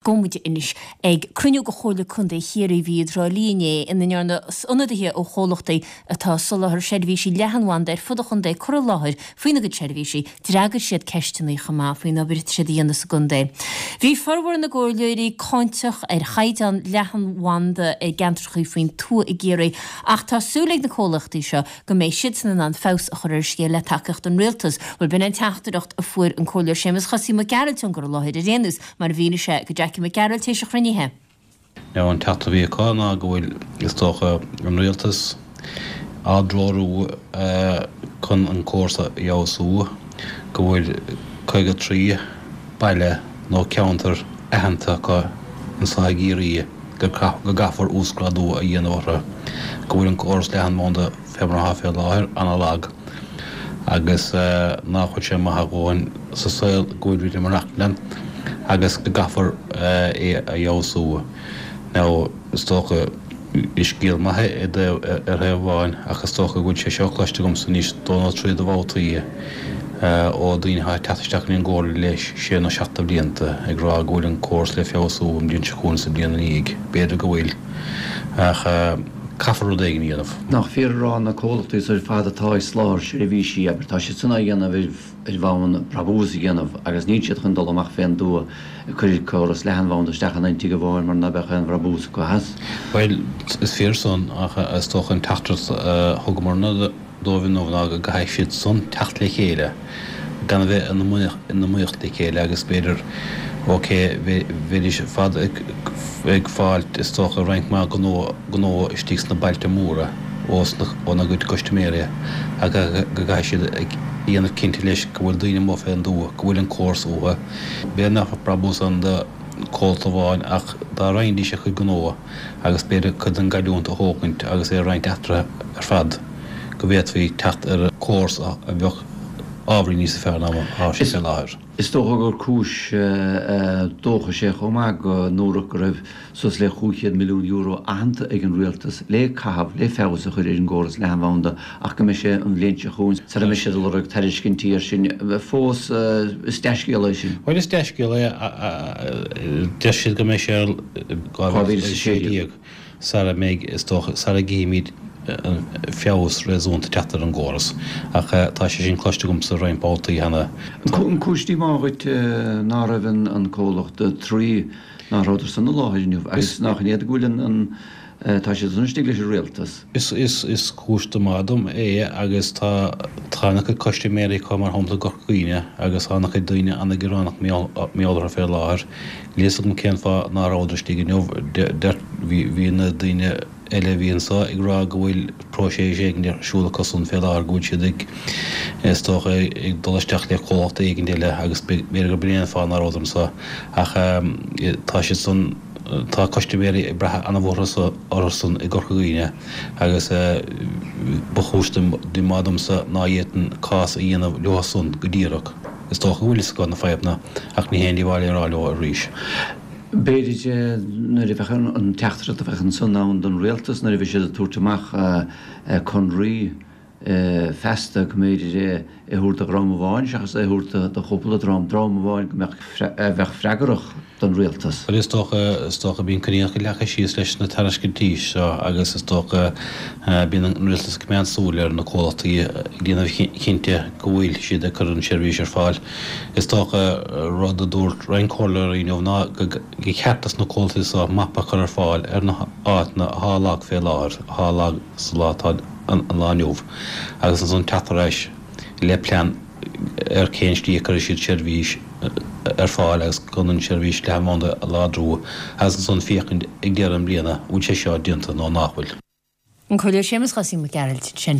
Gabhfaidh muid anois ag cruinniú de Chomhairle Contae Chiarraí a bhí i dTrá Lí inné ina ndearna ionadaithe ó chomhlachtaí atá ag soláthar seirbhísí leathanbhanda ar fud an chontae cur i láthair faoina gcuid seirbhísí. D'fhreagair siad ceisteanna chomh maith faoin obair atá siad a dhéanamh sa gcontae. Bhí formhór na gcomhairleoirí cáinteach ar chaighdeán leathanbhanda i gceantracha faoin tuath i gCiarraí ach tá súil ag na comhlachtaí seo go mbeidh siadsan in ann feabhas a chur ar an scéal le tacaíocht an Rialtais. Bhuel, b'in an teachtaireacht a fuair an Comhairleoir Séamus Chosaí Mac Gearailt ón gcur i láthair ar aon nós, mar a mhínigh sé go Jackie Mac Gearailt théis an chruinnithe. Now an teachtaireacht a bhí acu ná go bhfuil, is dócha, an Rialtas á dtreorú chun an córas a fheabhsú, go bhfuil 53 baile nó ceantar aitheanta acu anseo i gCiarraí go gcaithfear uasghrádú a dhéanamh orthu, go bhfuil an córas leathanbhanda fé mar atá fé láthair ana-lag agus nach bhfuil sé maith a dhóthain sa saol go bhfuil muid ag maireachtaint ann agus go gcaithfear é a fheabhsú. Now is dócha. Is scéal maith é ar thaobh amháin ach is dócha go bhfuil sé seo cloiste agamsa anois dó nó trí de bhabhtaí ó daoine atá ag teacht isteach go dtí an gComhairle le sé nó seacht de bhlianta ag rá go bhfuil an córas le feabhsú an bhliain seo chugainn is an bhliain ina dhiaidh. B'fhéidir go bhfuil ach caithfear rud éigin a dhéanamh. Nach fíor a rá na comhlachtaí ar fad atá ag soláthar seirbhísí, abair, tá siad san á dhéanamh ar bhonn brabús a dhéanamh agus níl siad chun dul amach fén dtuath ag cur córas leathanbhanda isteach in aon tigh amháin mar ná beadh aon bhrabús acu as. Bhuel, is fíor san, ach is dócha an teachtaireacht a thugamarna dóibh inniu ná go gcaithfidh siad san teacht le chéile, gan a bheith in iomaíocht le chéile agus b'fhéidir, ok, bheidís ar fad ag fáilt is dócha roinnt mhaith gnó istigh sna bailte móra óna gcuid custaiméirí ach go gcaithfidh siad a dhéanamh cinnte leis go bhfuil daoine amuigh fén dtuath, go bhfuil an córas uathu. B'fhéidir nach mbeadh brabús ann do chomhlacht amháin ach dá roinnfidís a chuid gnó agus b'fhéidir cuid den gcailliúint a thógaint agus é a roinnt eatarthu ar fad go bhféadfaí teacht ar chóras a bheadh ábhairín níosa fearr ná mar atá sé fé láthair. Is dócha gur cúis dóchais é chomh maith go ndúradh go raibh suas le €500 milliún aitheanta ag an rialtas le caitheamh le feabhas a chur ar an gcóras leathanbhanda ach go mbeidh sé an bhliain seo chugainn sara mbeidh siad ag lorg tairiscintí air sin. Fós, is dea-scéala é sin. Bhuel, is dea-scéala é. Deir siad go mbeidh sé ar 2016 sara mbeidh, is dócha, sara gcífimid feabhas réasúnta teacht ar an gcóras. Ach tá sé sin cloiste agamsa roinnt babhtaí cheana. An cúis díomá dhuit ná raibh an comhlacht Three Ná rabhadar san i láthair inniu agus nach in iad go bhfuil an, tá siad san istigh leis an rialtas. Is, is cúis díomá dom é agus tá, tá ana chuid custaiméirí acu mar shampla i gCorca Dhuibhne agus tá ana chuid daoine ana ghearánach mar gheall orthu fé láthair. Níl fhios agam cén fáth ná rabhadar istigh inniu. Deir, bhí, bhí na daoine eile a bhí anseo ag rá go bhfuil próiseas éigin ar siúl acusan fé láthair, go bhfuil siad ag, is dócha, ag dul isteach le comhlacht éigin eile agus b'fhéidir gurb in é an fáth ná rabhadar anseo. Ach tá siad san, tá custaiméirí ag brath ana-mhór orthusan i gCorca Dhuibhne agus ba chúis díomá domsa ná fhéadfainn cás a dhéanamh leothusan go díreach. Is dócha go bhfuil fhios acu na fadhbanna ach ní haon díobháil é a rá leo arís. B'fhéidir nuair a bheadh an teachtaireacht a bheadh ansan ann don rialtas nuair a bheidh siad ag tabhairt amach conraí feasta go mb'fhéidir é a thabhairt do dhream amháin seachas é a thabhairt do chúpla dream, dream amháin go mbeadh, a bheadh freagrach don rialtas. Bhuel is dócha, is dócha bíonn coinníollacha leagtha síos leis na tairiscintí seo agus is dócha bíonn an rialtas ag coimeád súil ar na comhlachtaí ag déanamh cinnte go bhfuil siad ag cur an seirbhís ar fáil. Is dócha, rud a dúirt roinnt comhairleoirí inniu ná gur cheart dos na comhlachtaí seo mapa a chur ar fáil ar na háiteanna atá lag fé láthair, atá lag sa lá atá an lá inniu, agus ansan teacht ar ais le plean ar cén slí a cuirfidh siad seirbhís ar fáil agus chun an seirbhís leathanbhanda a láidriú agus ansan féachaint ag deireadh na bliana an bhfuil sé seo déanta nó nach bhfuil. An Comhairleoir Séamus Chosaí Mac Gearailt ansin.